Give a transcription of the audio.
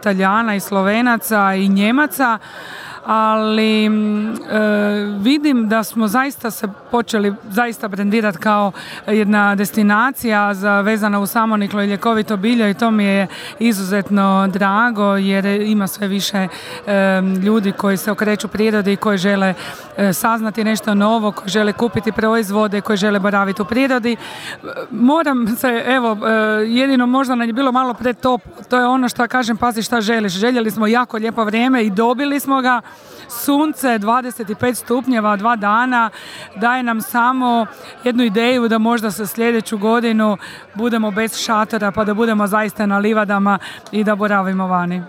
Talijana i Slovenaca i Njemaca, ali vidim da smo zaista se počeli zaista brendirati kao jedna destinacija vezana uz samoniklo i ljekovito bilje i to mi je izuzetno drago jer ima sve više ljudi koji se okreću prirodi i koji žele saznati nešto novo, koji žele kupiti proizvode, koji žele boraviti u prirodi. Moram se, jedino možda nam je bilo malo pretop, to je ono što kažem, pazi šta želiš. Željeli smo jako lijepo vrijeme i dobili smo ga. Sunce 25 stupnjeva 2 dana daje nam samo jednu ideju da možda sa sljedeću godinu budemo bez šatora pa da budemo zaista na livadama i da boravimo vani.